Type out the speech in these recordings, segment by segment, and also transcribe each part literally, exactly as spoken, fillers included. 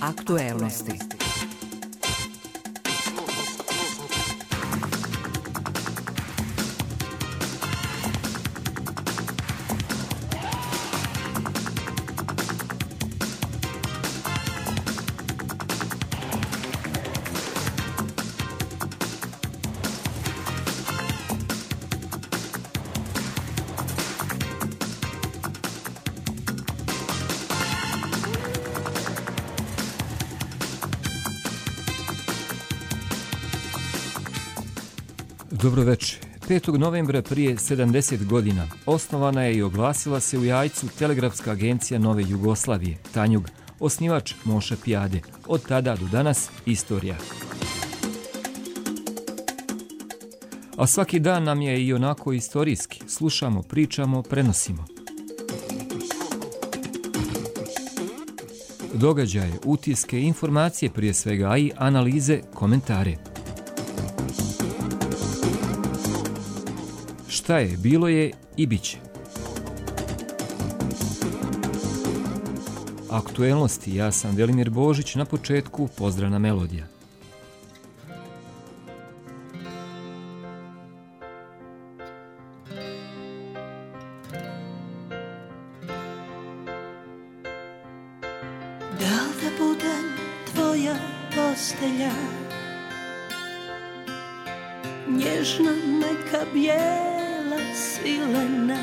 Aktuelnosti. Dobro večer. petog novembra prije sedamdeset godina osnovana je i oglasila se u Jajcu Telegrafska agencija Nove Jugoslavije, Tanjug, osnivač Moša Pijade. Od tada do danas istorija. A svaki dan nam je i onako istorijski. Slušamo, pričamo, prenosimo. Događaje, utiske, informacije prije svega, a i analize, komentare. Šta je, bilo je i bit će. Aktuelnosti, ja sam Velimir Božić, na početku pozdravna melodija. Da li da budem tvoja postelja, nježna meka bijela silena,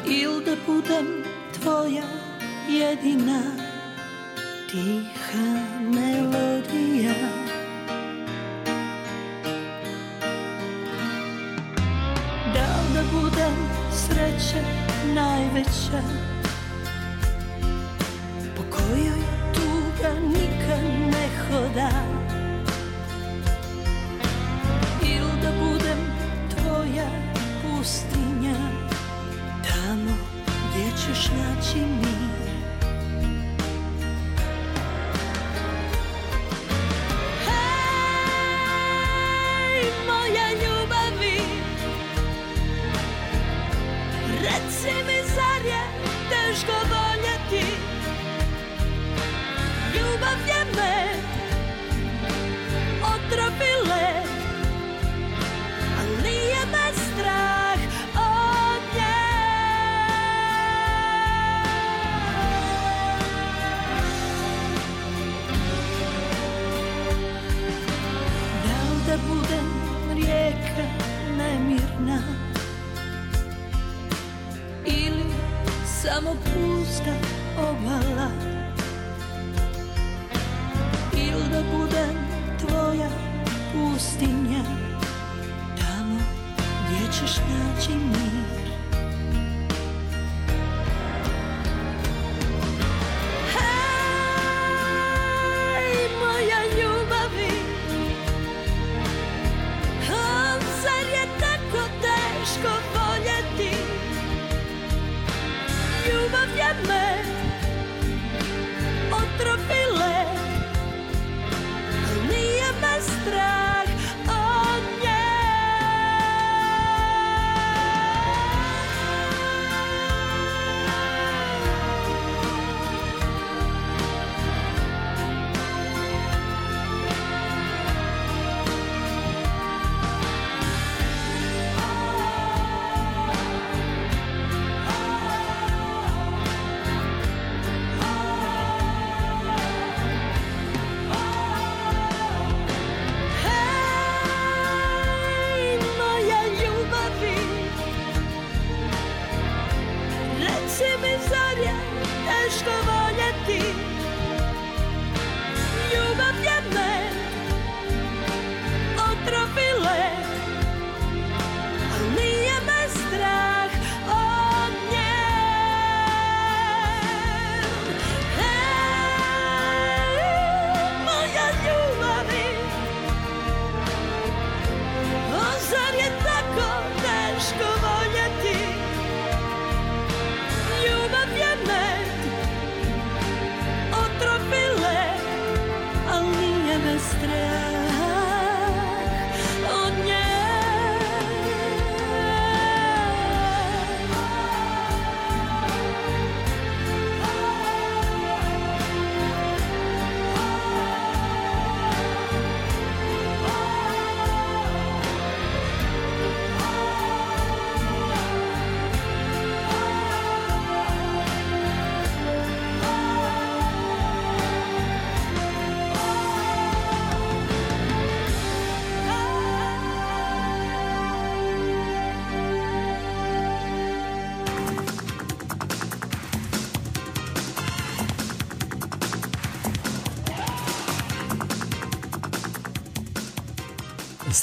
il da budem tvoja jedina tiha melodija. Da li da budem sreća najveća, po kojoj tuga nikad ne hoda, ili da budem tvoja pustinja, tamo gdje ćeš naći mir. Hej, moja ljubavi, reci mi, zar je teško voljeti? Ljubav je me otropile, ali nije me strah od nje. Da li da budem rijeka nemirna, ili samo pusta obala, ili da budem tvoja pustinja, tamo gdje ćeš naći mir. Hej, moja ljubavi, o, zar je tako teško voljeti? Ljubav je me otropile, nije me strah od nje.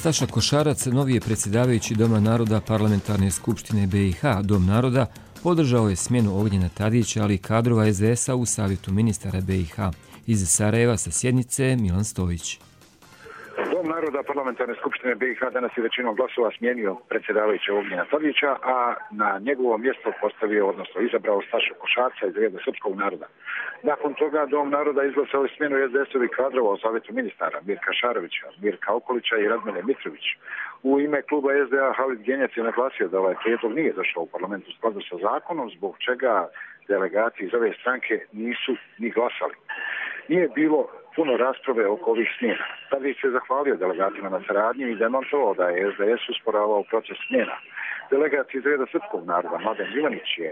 Staša Košarac, novi je predsjedavajući Doma naroda Parlamentarne skupštine B i H. Dom naroda podržao je smjenu Ognjena Tadića, ali i kadrova S D S-a u savjetu ministara B i H. Iz Sarajeva sa sjednice Milan Stojić. Dom naroda Parlamentarne skupštine B i H danas je većinom glasova smijenio predsjedavajućeg Ognjena Tadića, a na njegovo mjesto postavio, odnosno izabrao Stašu Košarca iz reda srpskog naroda. Nakon toga Dom naroda izglasao je smjenu S D S-ovih kadrova u savjetu ministara Mirka Šarovića, Mirka Okolića i Radmile Mitrović. U ime kluba S D A Halid Genjac je naglasio da ovaj prijedlog nije došao u parlamentu u skladu sa zakonom, zbog čega delegati iz ove stranke nisu ni glasali. Nije bilo puno rasprave oko ovih smjena. Tadić se zahvalio delegatima na saradnji i demantovao da je S D S usporavao proces smjena. Delegat iz reda srpskog naroda Mladen Ivanić je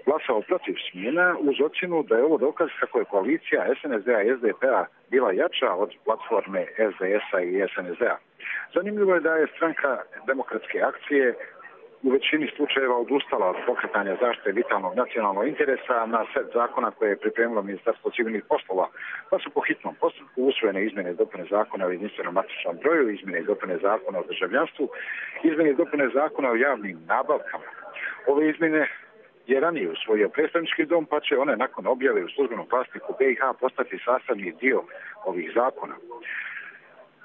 glasao protiv smjena uz ocjenu da je ovo dokaz kako je koalicija S N S D-a i S D P-a bila jača od platforme S D S-a i S N S D-a. Zanimljivo je da je stranka Demokratske akcije u većini slučajeva odustala od pokretanja zaštite vitalnog nacionalnog interesa na set zakona koje je pripremilo Ministarstvo civilnih poslova, pa su po hitnom postupku usvojene izmjene i dopune zakona o jedinstvenom matičnom broju, izmjene i dopune zakona o državljanstvu, izmjene i dopune zakona o javnim nabavkama. Ove izmjene je ranije usvojio predstavnički dom, pa će one nakon objave u službenom glasniku B i H postati sastavni dio ovih zakona.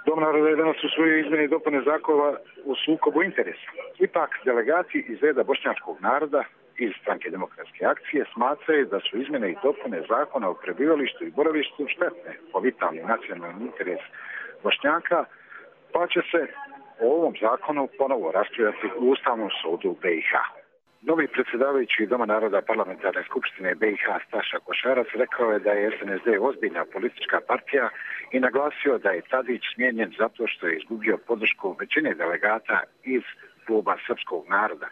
Dom naroda je danas usvojio izmjene i dopune zakona u sukobu interesa. Ipak, delegati iz reda bošnjačkog naroda iz stranke Demokratske akcije smatraju da su izmjene i dopune zakona o prebivalištu i boravištu štetne po vitalni nacionalni interes Bošnjaka, pa će se o ovom zakonu ponovo raspravljati u Ustavnom sudu B i H. Novi predsjedavajući Doma naroda Parlamentarne skupštine B i H Staša Košarac rekao je da je S N S D ozbiljna politička partija i naglasio da je Tadić smijenjen zato što je izgubio podršku većine delegata iz kluba srpskog naroda.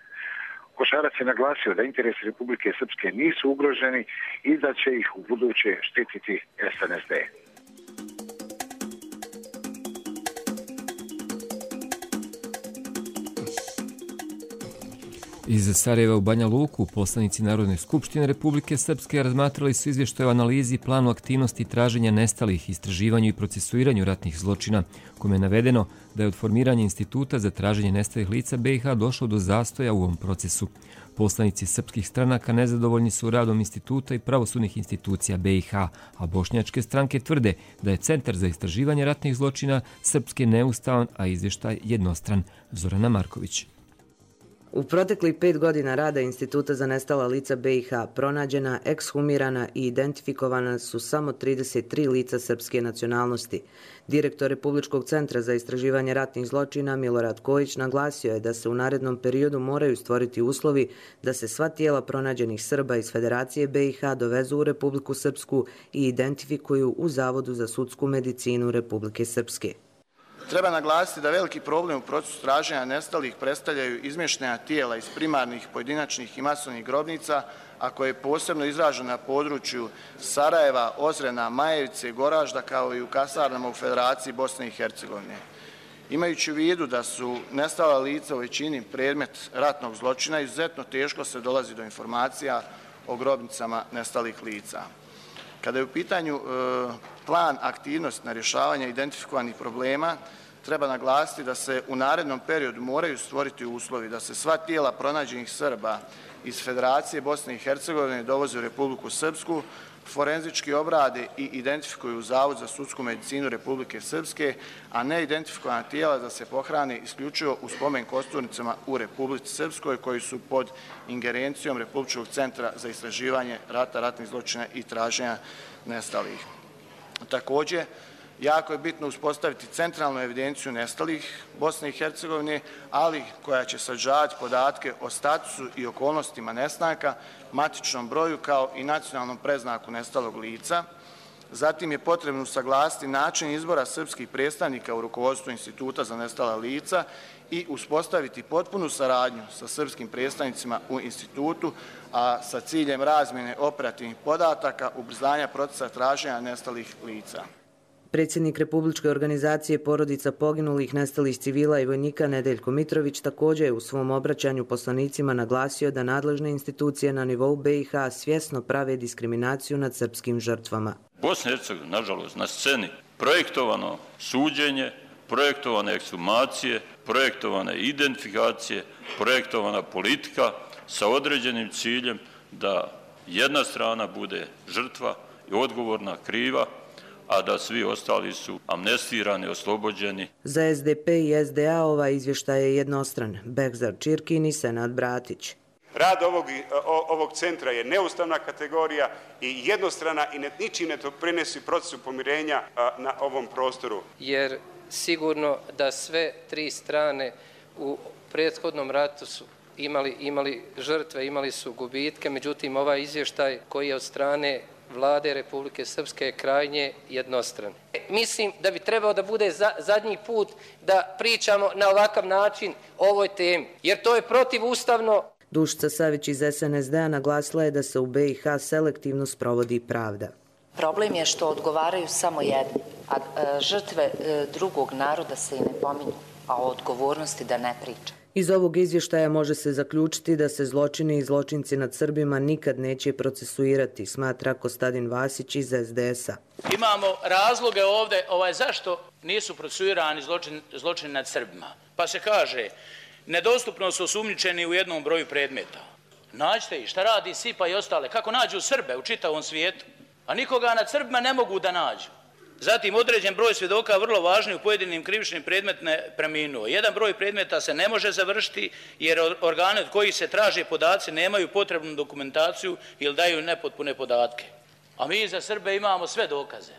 Košarac je naglasio da interesi Republike Srpske nisu ugroženi i da će ih u buduće štititi S N S D. Iz Sarajeva u Banja Luku poslanici Narodne skupštine Republike Srpske razmatrali su izvještaj o analizi planu aktivnosti traženja nestalih, istraživanju i procesuiranju ratnih zločina, kome je navedeno da je od formiranja instituta za traženje nestalih lica B i H došlo do zastoja u ovom procesu. Poslanici srpskih stranaka nezadovoljni su radom instituta i pravosudnih institucija B i H, a bošnjačke stranke tvrde da je Centar za istraživanje ratnih zločina Srpske neustavan, a izvještaj jednostran. Zorana Marković. U proteklih pet godina rada Instituta za nestala lica B i H pronađena, ekshumirana i identifikovana su samo trideset tri lica srpske nacionalnosti. Direktor Republičkog centra za istraživanje ratnih zločina Milorad Kojić naglasio je da se u narednom periodu moraju stvoriti uslovi da se sva tijela pronađenih Srba iz Federacije B i H dovezu u Republiku Srpsku i identifikuju u Zavodu za sudsku medicinu Republike Srpske. Treba naglasiti da veliki problem u procesu traženja nestalih predstavljaju izmještena tijela iz primarnih, pojedinačnih i masovnih grobnica, a koje je posebno izraženo na području Sarajeva, Ozrena, Majevice, Goražda, kao i u kasarnama u Federaciji Bosne i Hercegovine. Imajući u vidu da su nestala lica u većini predmet ratnog zločina, izuzetno teško se dolazi do informacija o grobnicama nestalih lica. Kada je u pitanju e, plan aktivnosti na rješavanje identifikovanih problema, treba naglasiti da se u narednom periodu moraju stvoriti uslovi da se sva tijela pronađenih Srba iz Federacije Bosne i Hercegovine dovoze u Republiku Srpsku, forenzički obrade i identifikuju u Zavod za sudsku medicinu Republike Srpske, a ne identifikovana tijela da se pohrane isključivo u spomen kosturnicama u Republici Srpskoj koji su pod ingerencijom Republičkog centra za istraživanje rata, ratnih zločina i traženja nestalih. Također, jako je bitno uspostaviti centralnu evidenciju nestalih Bosne i Hercegovine, ali koja će sadržavati podatke o statusu i okolnostima nestanka, matičnom broju kao i nacionalnom preznaku nestalog lica. Zatim je potrebno usaglasiti način izbora srpskih predstavnika u rukovodstvu Instituta za nestala lica i uspostaviti potpunu saradnju sa srpskim predstavnicima u institutu, a sa ciljem razmjene operativnih podataka, ubrzanja procesa traženja nestalih lica. Predsjednik Republičke organizacije porodica poginulih, nestalih civila i vojnika Nedeljko Mitrović također je u svom obraćanju poslanicima naglasio da nadležne institucije na nivou B i H svjesno prave diskriminaciju nad srpskim žrtvama. Bosna i Hercegovina, nažalost, na sceni projektovano suđenje, projektovane ekshumacije, projektovane identifikacije, projektovana politika sa određenim ciljem da jedna strana bude žrtva i odgovorna, kriva, a da svi ostali su amnestirani, oslobođeni. Za S D P i S D A ovaj izvještaj je jednostran. Bekzar Čirkin i Senad Bratić. Rad ovog, ovog centra je neustavna kategorija i jednostrana i ničim ne doprinosi procesu pomirenja na ovom prostoru. Jer sigurno da sve tri strane u prethodnom ratu su imali, imali žrtve, imali su gubitke, međutim ovaj izvještaj koji je od strane Vlade Republike Srpske je krajnje jednostran. Mislim da bi trebao da bude za, zadnji put da pričamo na ovakav način o ovoj temi, jer to je protivustavno. Dušica Savić iz S N S D A naglasila je da se u B i H selektivno sprovodi pravda. Problem je što odgovaraju samo jedni, a žrtve drugog naroda se i ne pominju, a o odgovornosti da ne priča. Iz ovog izvještaja može se zaključiti da se zločini i zločinci nad Srbima nikad neće procesuirati, smatra Kostadin Vasić iz S D S-a. Imamo razloge ovdje ovaj, zašto nisu procesuirani zločin, zločini nad Srbima. Pa se kaže, nedostupno su osumnjičeni u jednom broju predmeta. Nađite ih, šta radi S I P A i ostale, kako nađu Srbe u čitavom svijetu, a nikoga nad Srbima ne mogu da nađu. Zatim, određen broj svjedoka vrlo važni u pojedinim krivičnim predmetima preminuo. Jedan broj predmeta se ne može završiti jer organe od kojih se traže podaci nemaju potrebnu dokumentaciju ili daju nepotpune podatke. A mi za Srbe imamo sve dokaze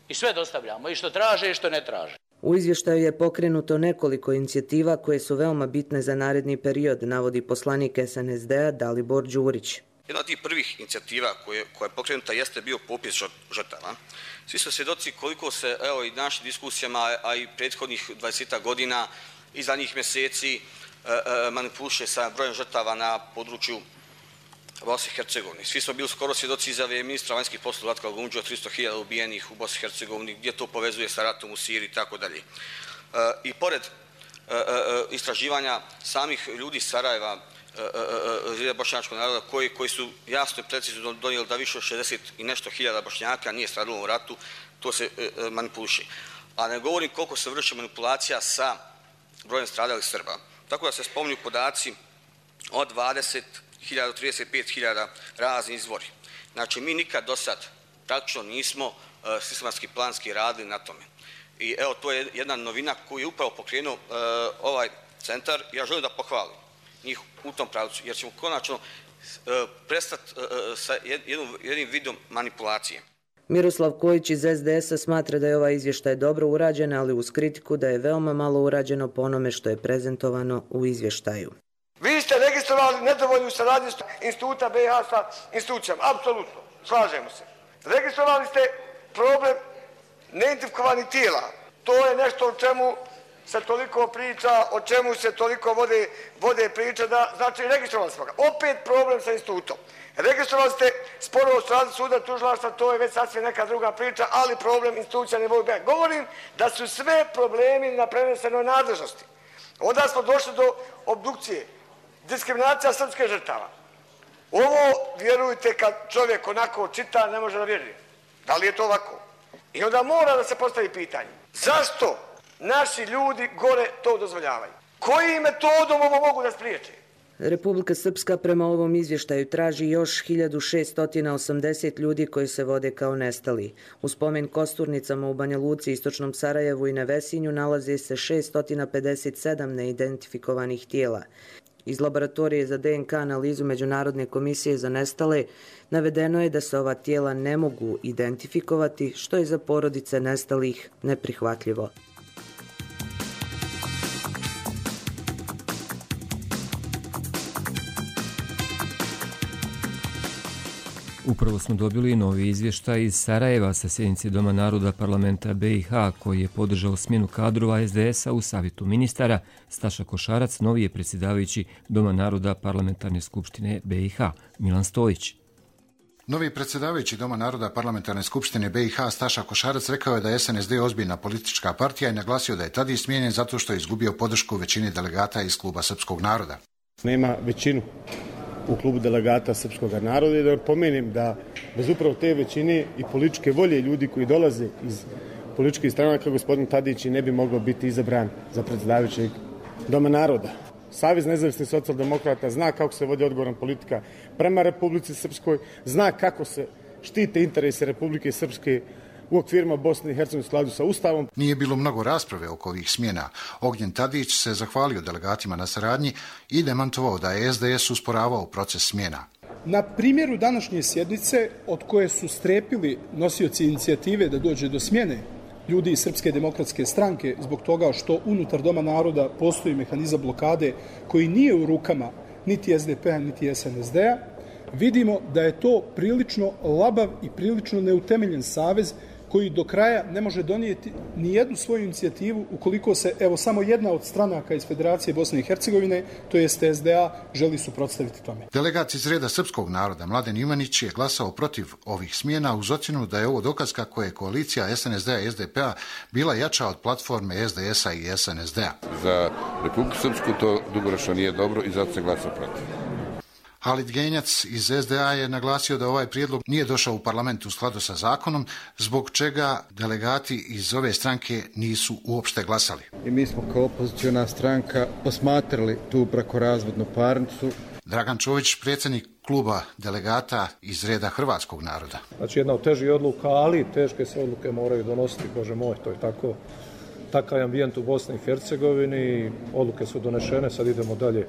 i sve dostavljamo, i što traže i što ne traže. U izvještaju je pokrenuto nekoliko inicijativa koje su veoma bitne za naredni period, navodi poslanik S N S D A Dalibor Đurić. Jedna od tih prvih inicijativa koje, koja je pokrenuta jeste bio popis žrtava. Svi su svjedoci koliko se, evo i našim diskusijama, a i prethodnih dvadeset godina i zadnjih mjeseci e, e, manipuliše sa brojem žrtava na području Bosne i Hercegovine. Svi smo bili skoro svjedoci izjave ministra vanjskih poslova Ratka Lagundžića o tristo hiljada ubijenih u Bosni i Hercegovini, gdje to povezuje sa ratom u Siriji i tako dalje. I pored e, e, istraživanja samih ljudi Sarajeva, bošnjačkog naroda koji, koji su jasno i precizno donijeli da više od šezdeset i nešto hiljada Bošnjaka nije stradalo u ratu, to se e, manipuliše. A ne govorim koliko se vrši manipulacija sa brojem stradalih Srba. Tako da se spominju podaci od dvadeset hiljada do trideset pet hiljada razni izvori. Znači, mi nikad do sad praktično nismo e, sistematski planski radili na tome. I evo, to je jedna novina koju je upravo pokrenuo e, ovaj centar. Ja želim da pohvalim njih u tom pravcu, jer ćemo konačno e, prestati e, sa jednom, jednim vidom manipulacije. Miroslav Kojić iz S D S-a smatra da je ovaj izvještaj dobro urađen, ali uz kritiku da je veoma malo urađeno po onome što je prezentovano u izvještaju. Vi ste registrovali nedovoljnu saradnju instituta B i H sa institucijama, apsolutno, slažemo se. Registrovali ste problem neidentifikovanih tijela. To je nešto o čemu se toliko priča, o čemu se toliko vode, vode priča, da znači registrovali smo ga. Opet problem sa institutom. Registrovali ste sporo od strane suda, tužilaštva, to je već sasvim neka druga priča, ali problem institucija ne mogu biti. Govorim da su sve problemi na prenesenoj nadležnosti. Onda smo došli do obdukcije, diskriminacija srpske žrtava. Ovo, vjerujte, kad čovjek onako čita, ne može da vjeruje. Da li je to ovako? I onda mora da se postavi pitanje. Zašto naši ljudi gore to dozvoljavaju? Kojim metodom ovo mogu da spriječe? Republika Srpska prema ovom izvještaju traži još hiljadu šeststo osamdeset ljudi koji se vode kao nestali. U spomen Kosturnicama u Banja Luci, Istočnom Sarajevu i Nevesinju nalaze se šeststo pedeset sedam neidentifikovanih tijela. Iz laboratorije za D N K analizu Međunarodne komisije za nestale navedeno je da se ova tijela ne mogu identifikovati, što je za porodice nestalih neprihvatljivo. Upravo smo dobili novi izvještaj iz Sarajeva sa sjednice Doma naroda parlamenta B i H koji je podržao smjenu kadrova S D S-a u savjetu ministara. Staša Košarac, novi je predsjedavajući Doma naroda parlamentarne skupštine B i H. Milan Stojić. Novi predsjedavajući Doma naroda parlamentarne skupštine B i H Staša Košarac rekao je da je S N S D ozbiljna politička partija i naglasio da je tada smijenjen zato što je izgubio podršku većine delegata iz kluba Srpskog naroda. Nema većinu u klubu delegata Srpskog naroda i da pomenem da bez upravo te većine i političke volje ljudi koji dolaze iz političkih stranaka gospodin Tadić ne bi mogao biti izabran za predsjedavajućeg Doma naroda. Savez nezavisnih socijaldemokrata zna kako se vodi odgovorna politika prema Republici Srpskoj, zna kako se štite interese Republike Srpske u okvirima Bosne i Hercegovine u skladu sa Ustavom. Nije bilo mnogo rasprave oko ovih smjena. Ognjen Tadić se zahvalio delegatima na saradnji i demantovao da je S D S usporavao proces smjena. Na primjeru današnje sjednice, od koje su strepili nosioci inicijative da dođe do smjene ljudi iz Srpske demokratske stranke zbog toga što unutar Doma naroda postoji mehanizam blokade koji nije u rukama niti S D P-a niti S N S D-a, vidimo da je to prilično labav i prilično neutemeljen savez koji do kraja ne može donijeti ni jednu svoju inicijativu ukoliko se, evo, samo jedna od stranaka iz Federacije Bosne i Hercegovine, to jest S D A, želi suprotstaviti tome. Delegat iz reda srpskog naroda Mladen Ivanić je glasao protiv ovih smjena uz ocjenu da je ovo dokaz kako je koalicija S N S D-a i S D P-a bila jača od platforme S D S-a i S N S D-a. Za Republiku Srpsku to dugoročno nije dobro i zato se glasa protiv. Halit Genjac iz S D A je naglasio da ovaj prijedlog nije došao u parlament u skladu sa zakonom, zbog čega delegati iz ove stranke nisu uopšte glasali. I mi smo kao opoziciona stranka posmatrali tu brakorazvodnu parnicu. Dragan Čović, predsjednik kluba delegata iz reda hrvatskog naroda. Znači jedna od težih odluka, ali teške se odluke moraju donositi, bože moj, to je tako. Takav je ambijent u Bosni i Hercegovini, odluke su donešene, sad idemo dalje.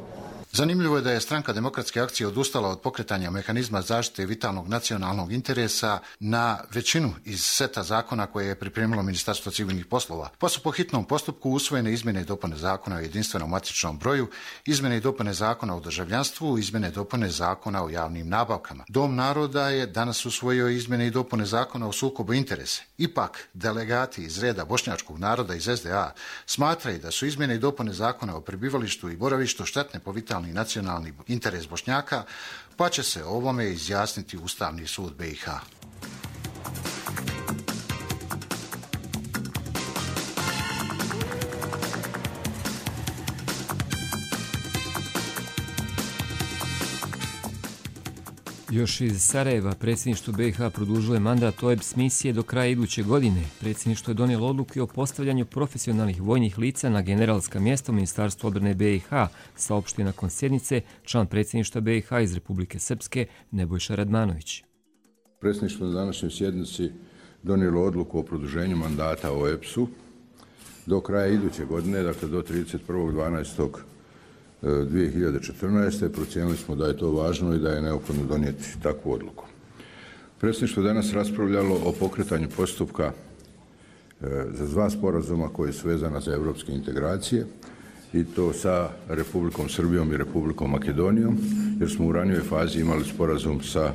Zanimljivo je da je stranka Demokratske akcije odustala od pokretanja mehanizma zaštite vitalnog nacionalnog interesa na većinu iz seta zakona koje je pripremilo Ministarstvo civilnih poslova, pa su po hitnom postupku usvojene izmjene i dopune zakona o jedinstvenom matičnom broju, izmjene i dopune zakona o državljanstvu, izmjene i dopune zakona o javnim nabavkama. Dom naroda je danas usvojio izmjene i dopune zakona o sukobu interesa. Ipak, delegati iz reda bošnjačkog naroda iz S D A smatraju da su izmjene i dopune zakona o prebivalištu i boravištu štetne po vitalni i nacionalni interes Bošnjaka, pa će se o ovome izjasniti Ustavni sud B i H. Još iz Sarajeva predsjedništvo B i H produžilo je mandat O E B S misije do kraja iduće godine. Predsjedništvo je donijelo odluku o postavljanju profesionalnih vojnih lica na generalska mjesta u Ministarstvu odbrane B i H, saopštio nakon sjednice član predsjedništva B i H iz Republike Srpske Nebojša Radmanović. Predsjedništvo na današnjoj sjednici donijelo odluku o produženju mandata O E B S-u do kraja iduće godine, dakle do trideset prvog dvanaestog dvije hiljade četrnaeste. Procijenili smo da je to važno i da je neophodno donijeti takvu odluku. Predsjedništvo je danas raspravljalo o pokretanju postupka za dva sporazuma koji su vezana za evropske integracije i to sa Republikom Srbijom i Republikom Makedonijom, jer smo u ranijoj fazi imali sporazum sa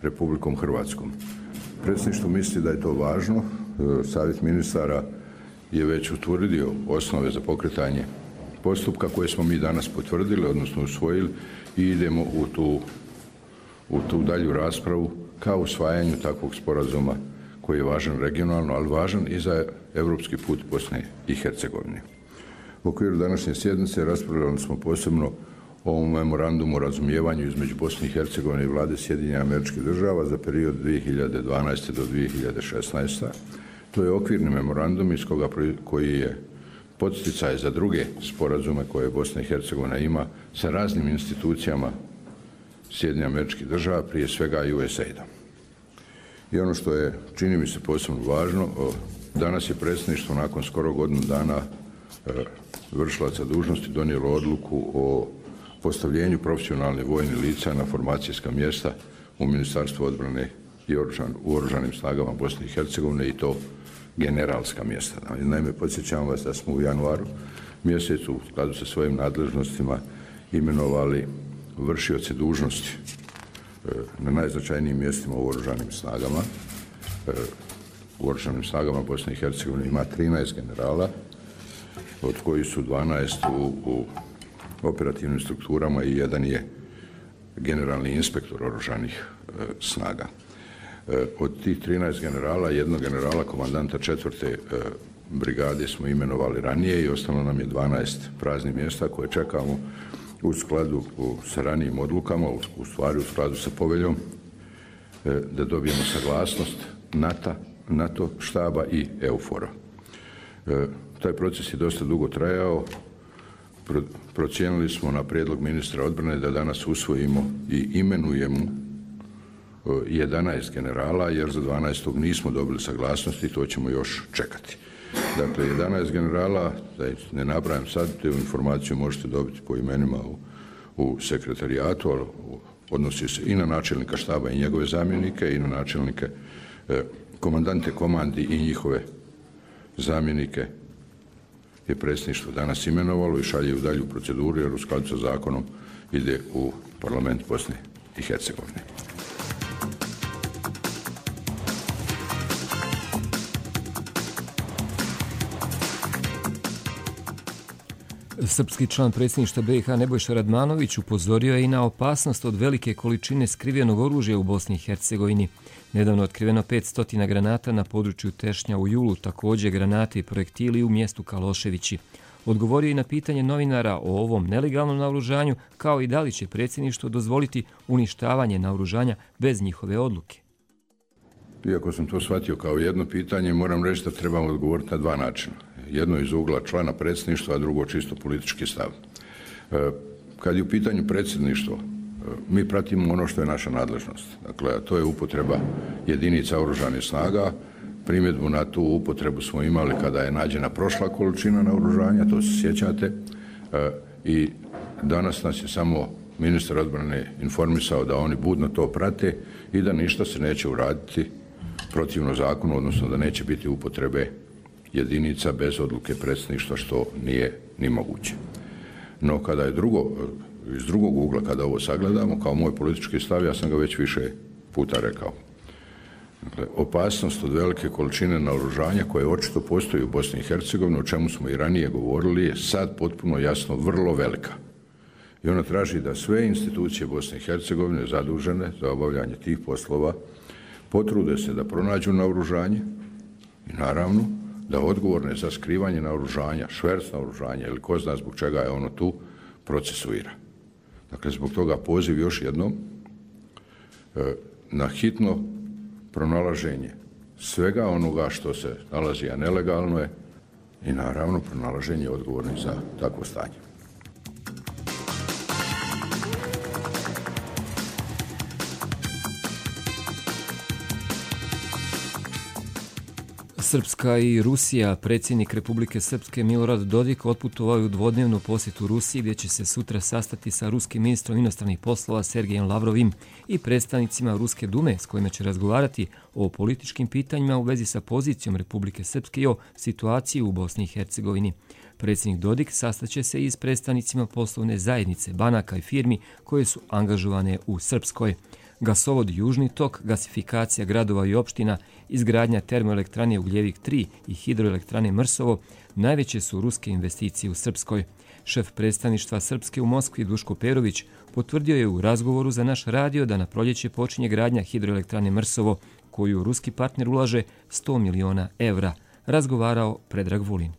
Republikom Hrvatskom. Predsjedništvo misli da je to važno. Savjet ministara je već utvrdio osnove za pokretanje postupka koje smo mi danas potvrdili, odnosno usvojili, i idemo u tu, u tu dalju raspravu kao usvajanju takvog sporazuma koji je važan regionalno, ali važan i za evropski put Bosne i Hercegovine. U okviru današnje sjednice raspravljali smo posebno o memorandumu o razumijevanju između Bosne i Hercegovine i vlade Sjedinjenih Američkih Država za period dvije hiljade dvanaeste do dvije hiljade šesnaeste. To je okvirni memorandum iz koga koji je podsticaj za druge sporazume koje Bosna i Hercegovina ima sa raznim institucijama Sjedinjenih Američkih Država, prije svega U S A I D-a. I ono što je, čini mi se, posebno važno, danas je predsjedništvo nakon skoro godinu dana vršilaca dužnosti donijelo odluku o postavljenju profesionalnih vojnih lica na formacijska mjesta u Ministarstvu odbrane i u Oružanim snagama Bosne i Hercegovine, i to generalska mjesta. Naime, podsjećam vas da smo u januaru mjesecu u skladu sa svojim nadležnostima imenovali vršioce dužnosti na najznačajnijim mjestima u Oružanim snagama. U Oružanim snagama Bosne i Hercegovine ima trinaest generala, od kojih su dvanaest u, u operativnim strukturama i jedan je generalni inspektor Oružanih snaga. Od tih trinaest generala, jednog generala komandanta četvrte brigade smo imenovali ranije i ostalo nam je dvanaest praznih mjesta koje čekamo u skladu sa ranijim odlukama, u stvari u skladu sa poveljom, da dobijemo saglasnost NATO NATO štaba i EUFOR-a. E, taj proces je dosta dugo trajao. Pro, procijenili smo na prijedlog ministra odbrane da danas usvojimo i imenujemo jedanaest generala, jer za dvanaestog nismo dobili saglasnosti, to ćemo još čekati. Dakle, jedanaest generala, da ne nabrajam sad, te informaciju možete dobiti po imenima u, u sekretarijatu, ali odnosi se i na načelnika štaba i njegove zamjenike, i na načelnike, eh, komandante komandi i njihove zamjenike je predsjedništvo danas imenovalo i šalje u dalju proceduru, jer u skladu sa zakonom ide u parlament Bosne i Hercegovine. Srpski član predsjedništva B i H Nebojša Radmanović upozorio je i na opasnost od velike količine skrivenog oružja u Bosni i Hercegovini. Nedavno otkriveno petsto granata na području Tešnja u julu, također granate i projektili u mjestu Kaloševići. Odgovorio i na pitanje novinara o ovom nelegalnom naoružanju, kao i da li će predsjedništvo dozvoliti uništavanje naoružanja bez njihove odluke. Iako sam to shvatio kao jedno pitanje, moram reći da trebamo odgovoriti na dva načina. Jedno iz ugla člana predsjedništva, a drugo čisto politički stav. Kad je u pitanju predsjedništvo, mi pratimo ono što je naša nadležnost. Dakle, to je upotreba jedinica oružanih snaga. Primjedbu na tu upotrebu smo imali kada je nađena prošla količina naoružanja, to se sjećate. I danas nas je samo ministar odbrane informisao da oni budno to prate i da ništa se neće uraditi protivno zakonu, odnosno da neće biti upotrebe jedinica bez odluke predsjedništva, što nije ni moguće. No kada je drugo, iz drugog ugla, kada ovo sagledamo, kao moj politički stav, ja sam ga već više puta rekao. Dakle, opasnost od velike količine naoružanja koje očito postoji u Bosni i Hercegovini, o čemu smo i ranije govorili, je sad potpuno jasno vrlo velika. I ona traži da sve institucije Bosne i Hercegovine zadužene za obavljanje tih poslova potrude se da pronađu naoružanje i naravno da odgovorne za skrivanje naoružanja, šverc naoružanja ili ko zna zbog čega je ono tu, procesuira. Dakle, zbog toga poziv još jednom na hitno pronalaženje svega onoga što se nalazi, a nelegalno je, i naravno pronalaženje odgovornih za takvo stanje. Srpska i Rusija. Predsjednik Republike Srpske Milorad Dodik otputovao je u dvodnevnu posjetu Rusiji, gdje će se sutra sastati sa ruskim ministrom inostranih poslova Sergejem Lavrovim i predstavnicima Ruske dume, s kojima će razgovarati o političkim pitanjima u vezi sa pozicijom Republike Srpske i o situaciji u Bosni i Hercegovini. Predsjednik Dodik sastaće se i s predstavnicima poslovne zajednice, banaka i firmi koje su angažovane u Srpskoj. Gasovod Južni tok, gasifikacija gradova i opština, izgradnja termoelektrane Ugljevik tri i hidroelektrane Mrsovo najveće su ruske investicije u Srpskoj. Šef predstavništva Srpske u Moskvi Duško Perović potvrdio je u razgovoru za naš radio da na proljeće počinje gradnja hidroelektrane Mrsovo, koju ruski partner ulaže sto miliona evra. Razgovarao Predrag Vulin.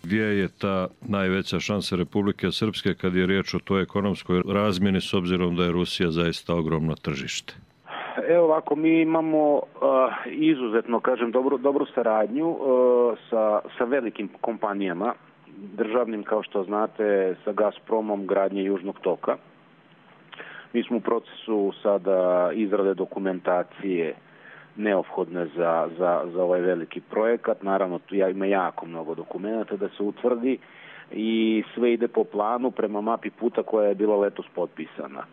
Gdje je ta najveća šansa Republike Srpske kad je riječ o toj ekonomskoj razmjeni, s obzirom da je Rusija zaista ogromno tržište? Evo ovako, mi imamo uh, izuzetno, kažem, dobru, dobru saradnju uh, sa, sa velikim kompanijama, državnim, kao što znate, sa Gazpromom, gradnje Južnog toka. Mi smo u procesu sada izrade dokumentacije neophodne za, za, za ovaj veliki projekat. Naravno, tu ima jako mnogo dokumenta da se utvrdi i sve ide po planu prema mapi puta koja je bila letos potpisana.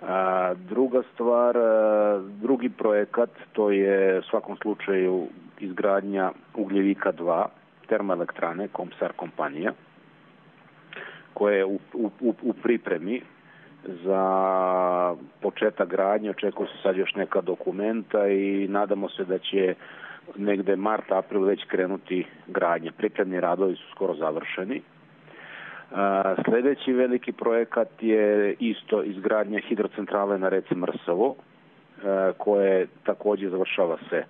A, druga stvar, a, drugi projekat, to je u svakom slučaju izgradnja Ugljevika dva, termoelektrane, Komsar kompanija, koja je u, u, u pripremi za početak gradnje. Očekuju se sad još neka dokumenta i nadamo se da će negde mart, april već krenuti gradnja. Pripremni radovi su skoro završeni. A, sljedeći veliki projekat je isto izgradnja hidrocentrale na reci Mrsovo, a, koje također završava se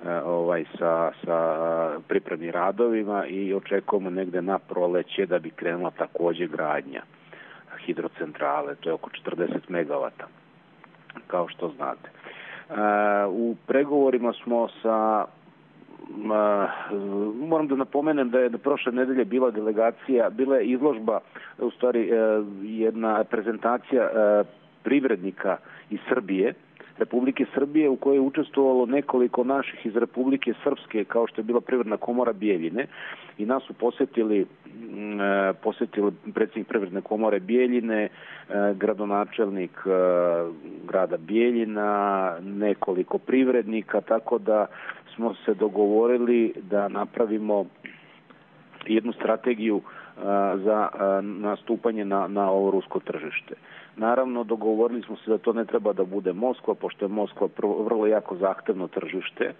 a, ovaj, sa, sa pripremnim radovima i očekujemo negde na proleće da bi krenula također gradnja hidrocentrale, to je oko četrdeset megavata, kao što znate. U pregovorima smo sa, moram da napomenem da je da prošle nedelje bila delegacija, bila je izložba, u stvari jedna prezentacija privrednika iz Srbije, Republike Srbije, u kojoj je učestvovalo nekoliko naših iz Republike Srpske, kao što je bila Privredna komora Bijeljine, i nas su posjetili, posjetili predsjednik Privredne komore Bijeljine, gradonačelnik grada Bijeljina, nekoliko privrednika, tako da smo se dogovorili da napravimo jednu strategiju za nastupanje na, na ovo rusko tržište. Naravno, dogovorili smo se da to ne treba da bude Moskva, pošto je Moskva vrlo jako zahtevno tržište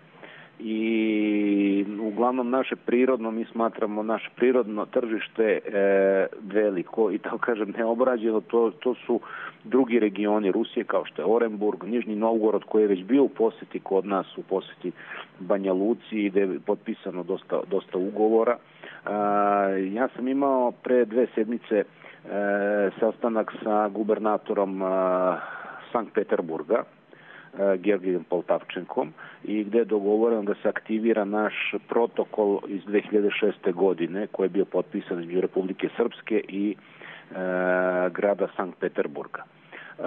i uglavnom naše prirodno, mi smatramo naše prirodno tržište e, veliko i tako kažem neobrađeno, to, to su drugi regioni Rusije kao što je Orenburg, Nižni Novgorod koji je već bio u posjeti kod nas, u posjeti Banja Luci gdje je potpisano dosta, dosta ugovora. E, ja sam imao pre dve sedmice E, sastanak sa gubernatorom e, Sankt Peterburga, e, Georgijem Poltavčenkom, i gdje je dogovoreno da se aktivira naš protokol iz dve hiljade šeste. godine koji je bio potpisan između Republike Srpske i e, grada Sankt Peterburga. E,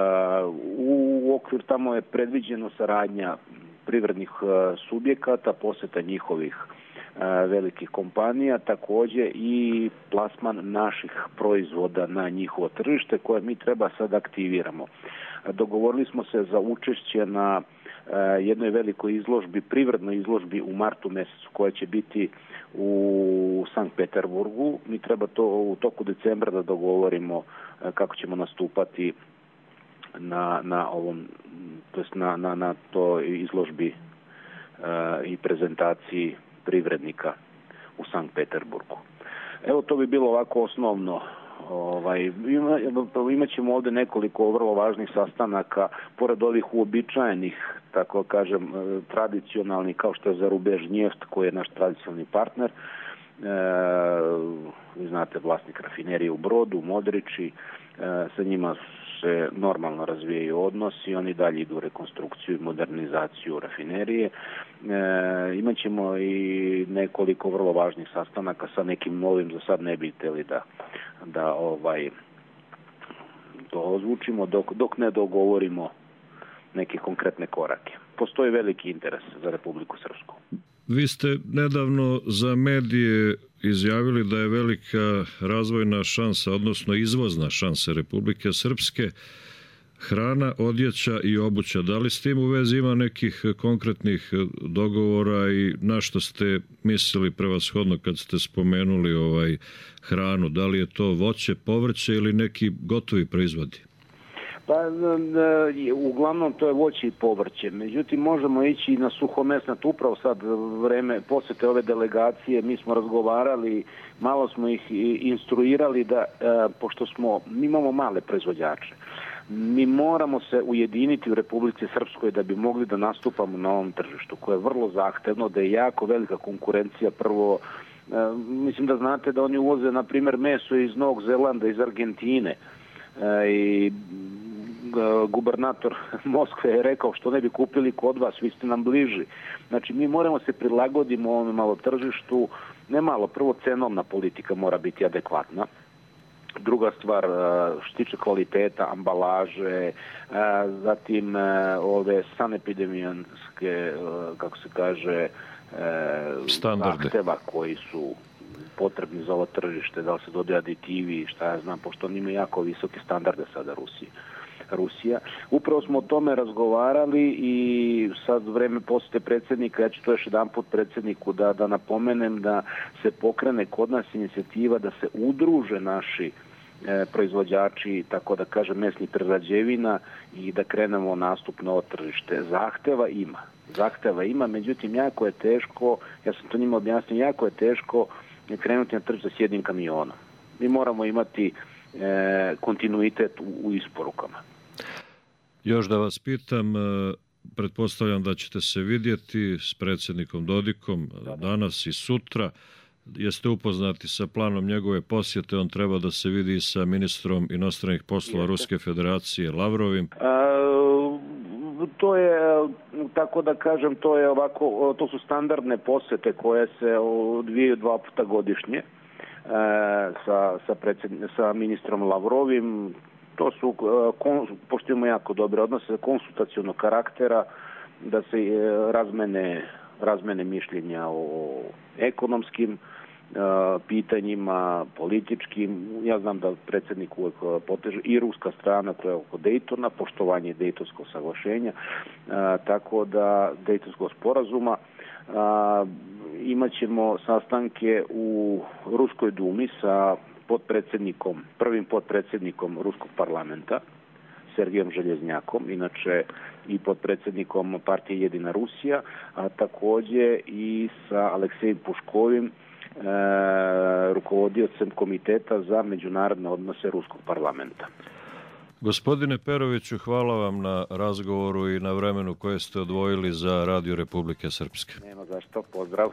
u okviru tamo je predviđeno saradnja privrednih e, subjekata, posjeta njihovih velikih kompanija, također i plasman naših proizvoda na njihovo tržište koje mi treba sad aktiviramo. Dogovorili smo se za učešće na jednoj velikoj izložbi, privrednoj izložbi u martu mjesecu koja će biti u Sankt Peterburgu. Mi treba to u toku decembra da dogovorimo kako ćemo nastupati na, na ovom, to jest na, na, na toj izložbi i prezentaciji privrednika u Sankt Peterburgu. Evo, to bi bilo ovako osnovno. Ovaj, ima, imat ćemo ovdje nekoliko vrlo važnih sastanaka, pored ovih uobičajenih, tako kažem, tradicionalnih, kao što je Zarubežnjeft, koji je naš tradicionalni partner. E, vi znate, vlasnik rafinerije u Brodu, Modriči, e, sa njima se normalno razvijaju odnosi, oni dalje idu u rekonstrukciju i modernizaciju rafinerije. E, imat ćemo i nekoliko vrlo važnih sastanaka sa nekim novim, za sad ne bi htjeli da, da ovaj, to ozvučimo dok, dok ne dogovorimo neke konkretne korake. Postoji veliki interes za Republiku Srpsku. Vi ste nedavno za medije izjavili da je velika razvojna šansa, odnosno izvozna šansa Republike Srpske hrana, odjeća i obuća. Da li s tim u vezi ima nekih konkretnih dogovora i na što ste mislili prevashodno kad ste spomenuli ovaj hranu? Da li je to voće, povrće ili neki gotovi proizvodi? Pa, uglavnom to je voće i povrće. Međutim, možemo ići i na suhomesnat. Upravo sad vreme posjete ove delegacije, mi smo razgovarali, malo smo ih instruirali da, pošto smo, mi imamo male proizvođače, mi moramo se ujediniti u Republici Srpskoj da bi mogli da nastupamo na ovom tržištu, koje je vrlo zahtevno, da je jako velika konkurencija. Prvo, mislim da znate da oni uvoze, na primjer, meso iz Novog Zelanda, iz Argentine, i gubernator Moskve je rekao što ne bi kupili kod vas, vi ste nam bliži. Znači, mi moramo se prilagoditi ovom malo tržištu, ne malo, prvo cenovna politika mora biti adekvatna. Druga stvar, što se tiče kvaliteta, ambalaže, zatim ove sanepidemijanske, kako se kaže, standarde, zahteva koji su potrebni za ovo tržište, da li se dodaju aditivi, šta ja znam, pošto oni imaju jako visoke standarde sada Rusije. Rusija. Upravo smo o tome razgovarali i sad vreme posjete predsjednika, ja ću to još jedan put predsjedniku da, da napomenem da se pokrene kod nas inicijativa da se udruže naši e, proizvođači, tako da kažem, mesnih prerađevina i da krenemo nastup na ovo tržište. Zahteva ima. Zahteva ima, međutim, jako je teško, ja sam to njima objasnio, jako je teško krenuti na tržište s jednim kamionom. Mi moramo imati e, kontinuitet u, u isporukama. Još da vas pitam, pretpostavljam da ćete se vidjeti s predsjednikom Dodikom danas i sutra. Jeste upoznati sa planom njegove posjete? On treba da se vidi sa ministrom inostranih poslova Ruske federacije Lavrovim. A, To je, tako da kažem, to je ovako, to su standardne posete koje se odvijaju dva puta godišnje e, sa, sa, predsjedn, sa ministrom Lavrovim. To su, kon, pošto imamo jako dobre odnose, konsultacionog karaktera, da se razmene, razmene mišljenja o ekonomskim pitanjima, političkim. Ja znam da predsjednik uvijek poteže i ruska strana, to je oko Dejtona, poštovanje Dejtonskog saglašenja, a, tako da Dejtonskog sporazuma. A, imat ćemo sastanke u Ruskoj dumi sa potpredsjednikom, prvim potpredsjednikom Ruskog parlamenta, Sergijom Željeznjakom, inače i potpredsjednikom partije Jedina Rusija, a također i sa Aleksejem Puškovim, E, rukovodiocem Komiteta za međunarodne odnose Ruskog parlamenta. Gospodine Peroviću, hvala vam na razgovoru i na vremenu koje ste odvojili za Radio Republike Srpske. Nema zašto, pozdrav.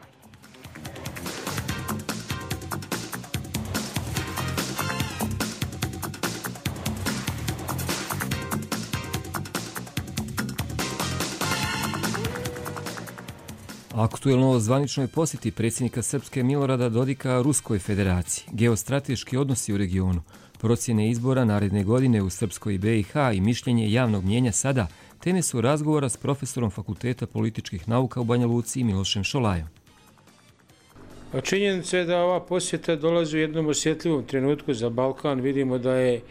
Aktuelno o zvaničnoj posjeti predsjednika Srpske Milorada Dodika Ruskoj federaciji, geostrateški odnosi u regionu, procjene izbora naredne godine u Srpskoj be i ha i mišljenje javnog mnijenja sada, teme su razgovora s profesorom Fakulteta političkih nauka u Banja Luci Milošem Šolajom. Činjenica je da ova posjeta dolazi u jednom osjetljivom trenutku za Balkan. Vidimo da je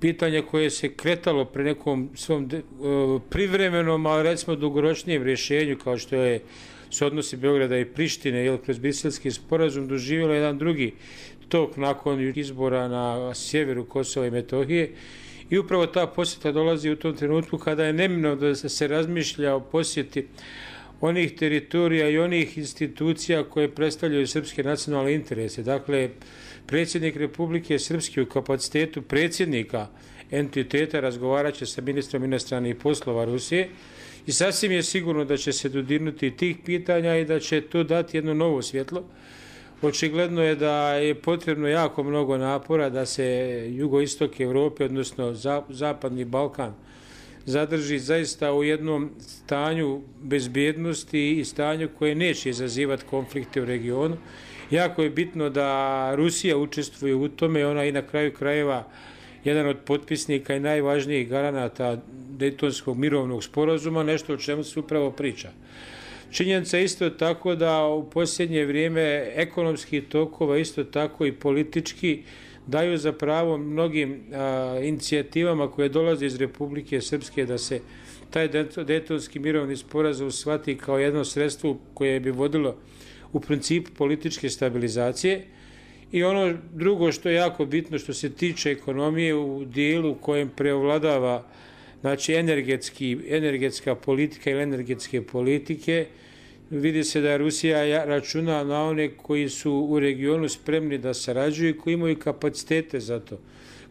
pitanje koje se kretalo pre nekom svom de, uh, privremenom, ali recimo dugoročnijem rješenju, kao što je se odnosi Beograda i Prištine, jer kroz Briselski sporazum doživjelo jedan drugi tok nakon izbora na sjeveru Kosova i Metohije. I upravo ta posjeta dolazi u tom trenutku kada je neminovno da se razmišlja o posjeti onih teritorija i onih institucija koje predstavljaju srpske nacionalne interese. Dakle, predsjednik Republike Srpske u kapacitetu predsjednika entiteta razgovarat će sa ministrom inostranih poslova Rusije i sasvim je sigurno da će se dodirnuti tih pitanja i da će to dati jedno novo svjetlo. Očigledno je da je potrebno jako mnogo napora da se jugoistok Evrope, odnosno zapadni Balkan, zadrži zaista u jednom stanju bezbjednosti i stanju koje neće izazivati konflikte u regionu. Jako je bitno da Rusija učestvuje u tome, ona i na kraju krajeva jedan od potpisnika i najvažnijih garanata Dejtonskog mirovnog sporazuma, nešto o čemu se upravo priča. Činjenica je isto tako da u posljednje vrijeme ekonomski tokova, isto tako i politički, daju za pravo mnogim a, inicijativama koje dolaze iz Republike Srpske da se taj Dejtonski mirovni sporazum shvati kao jedno sredstvo koje bi vodilo u principu političke stabilizacije. I ono drugo što je jako bitno što se tiče ekonomije u dijelu u kojem preovladava znači energetski, energetska politika ili energetske politike, vidi se da Rusija računa na one koji su u regionu spremni da sarađuju i koji imaju kapacitete za to.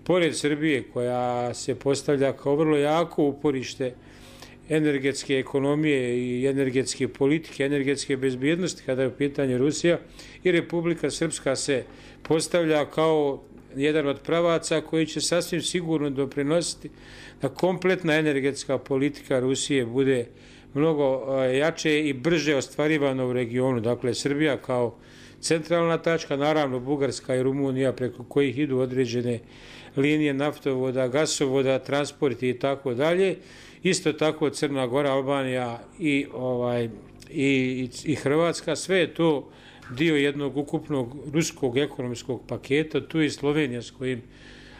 Pored Srbije koja se postavlja kao vrlo jako uporište energetske ekonomije i energetske politike, energetske bezbjednosti kada je u pitanju Rusija, i Republika Srpska se postavlja kao jedan od pravaca koji će sasvim sigurno doprinositi da kompletna energetska politika Rusije bude mnogo jače i brže ostvarivano u regionu. Dakle, Srbija kao centralna tačka, naravno Bugarska i Rumunija preko kojih idu određene linije naftovoda, gasovoda, transporti i tako dalje. Isto tako Crna Gora, Albanija i, ovaj, i, i Hrvatska, sve je to dio jednog ukupnog ruskog ekonomskog paketa, tu i Slovenija s kojim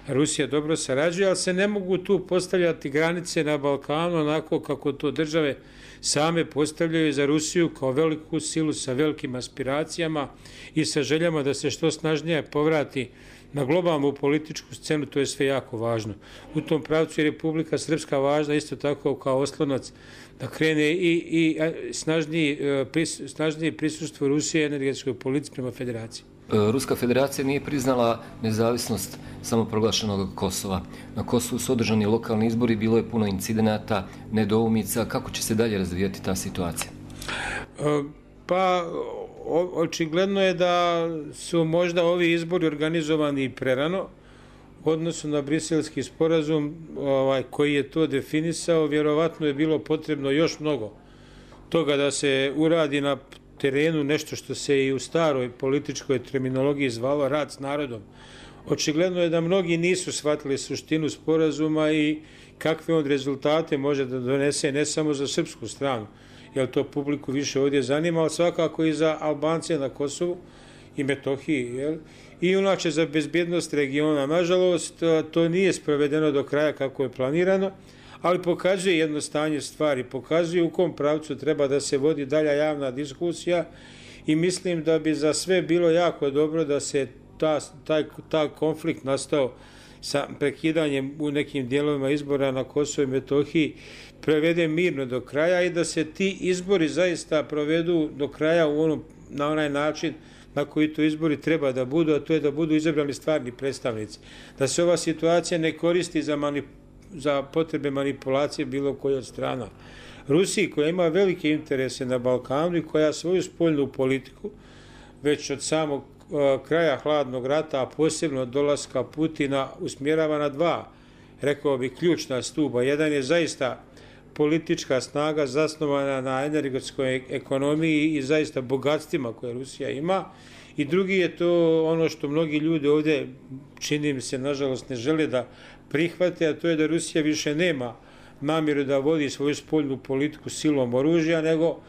Rusija dobro sarađuje, ali se ne mogu tu postavljati granice na Balkanu onako kako to države same postavljaju za Rusiju kao veliku silu sa velikim aspiracijama i sa željama da se što snažnije povrati na globalnu političku scenu. To je sve jako važno. U tom pravcu je Republika Srpska važna isto tako kao oslonac da krene i, i snažniji, pris, snažniji prisustvo Rusije energetskoj politici prema federaciji. Ruska federacija nije priznala nezavisnost samoproglašenog Kosova. Na Kosovu su održani lokalni izbori, bilo je puno incidenata, nedoumica. Kako će se dalje razvijati ta situacija? Pa, očigledno je da su možda ovi izbori organizovani prerano. odnosu na briselski sporazum ovaj, koji je to definisao, vjerovatno je bilo potrebno još mnogo toga da se uradi na terenu, nešto što se i u staroj političkoj terminologiji zvalo rad s narodom. Očigledno je da mnogi nisu shvatili suštinu sporazuma i kakve on rezultate može da donese ne samo za srpsku stranu, jer to publiku više ovdje zanima, ali svakako i za Albance na Kosovu i Metohiji, jel? I inače za bezbjednost regiona. Nažalost, to nije sprovedeno do kraja kako je planirano, ali pokazuje jedno stanje stvari, pokazuje u kom pravcu treba da se vodi dalja javna diskusija i mislim da bi za sve bilo jako dobro da se ta, taj, taj konflikt nastao sa prekidanjem u nekim dijelovima izbora na Kosovu i Metohiji prevede mirno do kraja i da se ti izbori zaista provedu do kraja u onom, na onaj način na koji to izbori treba da budu, a to je da budu izabrani stvarni predstavnici. Da se ova situacija ne koristi za, manip, za potrebe manipulacije bilo koje od strana. Rusiji, koja ima velike interese na Balkanu i koja svoju spoljnu politiku već od samog uh, kraja hladnog rata, a posebno od dolaska Putina, usmjerava na dva, rekao bi, ključna stuba. Jedan je zaista politička snaga zasnovana na energetskoj ekonomiji i zaista bogatstvima koje Rusija ima. I drugi je to ono što mnogi ljudi ovdje, čini mi se, nažalost, ne žele da prihvate, a to je da Rusija više nema namjeru da vodi svoju spoljnu politiku silom oružja, nego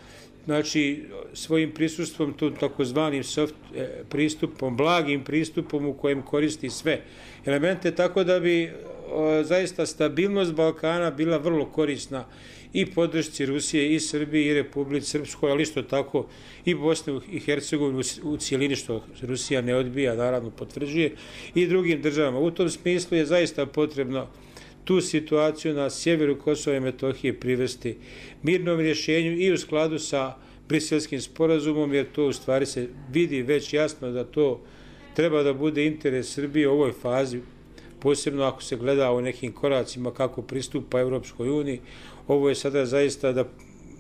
znači, svojim prisustvom, to takozvanim soft pristupom, blagim pristupom u kojem koristi sve elemente, tako da bi o, zaista stabilnost Balkana bila vrlo korisna i podršci Rusije, i Srbije, i Republici Srpskoj, ali isto tako i Bosne i Hercegovine u cijelini, što Rusija ne odbija, naravno potvrđuje, i drugim državama. U tom smislu je zaista potrebno tu situaciju na sjeveru Kosova i Metohije privesti mirnom rješenju i u skladu sa Briselskim sporazumom, jer to u stvari se vidi već jasno da to treba da bude interes Srbije u ovoj fazi, posebno ako se gleda o nekim koracima kako pristupa Evropskoj uniji. Ovo je sada zaista da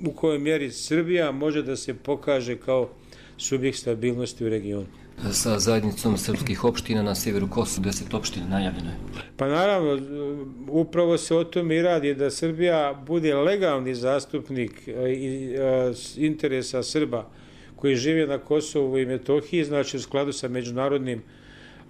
u kojoj mjeri Srbija može da se pokaže kao subjekt stabilnosti u regionu. Sa zajednicom srpskih opština na sjeveru Kosova, deset opština najavljeno je. Pa naravno, upravo se o tome i radi, da Srbija bude legalni zastupnik interesa Srba koji žive na Kosovu i Metohiji, znači u skladu sa međunarodnim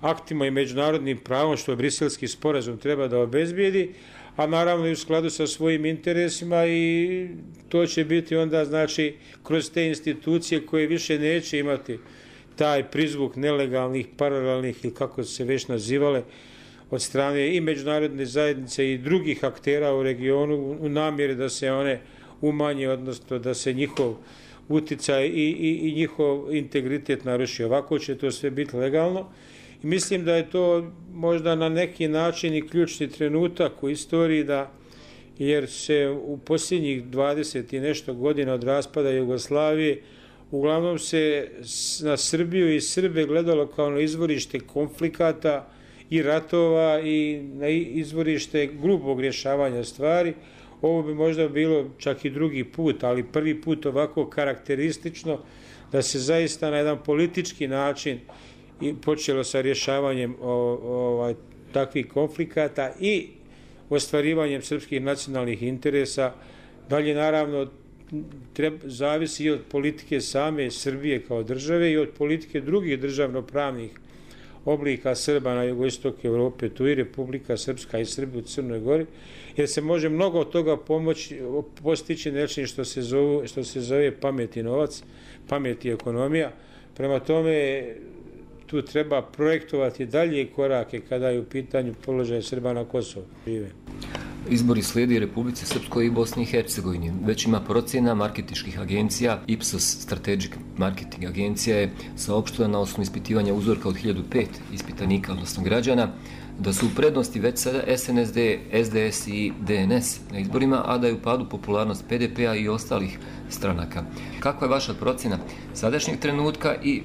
aktima i međunarodnim pravom, što Briselski sporazum treba da obezbijedi, a naravno i u skladu sa svojim interesima, i to će biti onda, znači, kroz te institucije koje više neće imati taj prizvuk nelegalnih, paralelnih ili kako se već nazivale od strane i međunarodne zajednice i drugih aktera u regionu u namjeri da se one umanje, odnosno da se njihov uticaj i, i, i njihov integritet naruši. Ovako će to sve biti legalno i mislim da je to možda na neki način i ključni trenutak u istoriji, da jer se u posljednjih dvadeset i nešto godina od raspada Jugoslavije uglavnom se na Srbiju i Srbe gledalo kao na izvorište konflikata i ratova i na izvorište grubog rješavanja stvari. Ovo bi možda bilo čak i drugi put, ali prvi put ovako karakteristično da se zaista na jedan politički način i počelo sa rješavanjem o, o, takvih konflikata i ostvarivanjem srpskih nacionalnih interesa. Dalje, naravno, treba, zavisi i od politike same Srbije kao države i od politike drugih državnopravnih oblika Srba na jugoistoku Evrope, tu i Republika Srpska i Srbi u Crnoj Gori, jer se može mnogo od toga pomoći, postići nečim što se zove, što se zove pamet i novac, pamet i ekonomija. Prema tome, tu treba projektovati dalje korake kada je u pitanju položaj Srba na Kosovu. Izbori slijedi Republici Srpskoj i Bosni i Hercegovini. Već ima procjena marketinških agencija. Ipsos Strategic Marketing agencija je saopštila na osnovu ispitivanja uzorka od hiljadu pet ispitanika, odnosno građana, da su u prednosti već sada S N S D, S D S i D N S na izborima, a da je u padu popularnost P D P-a i ostalih stranaka. Kakva je vaša procjena sadašnjeg trenutka i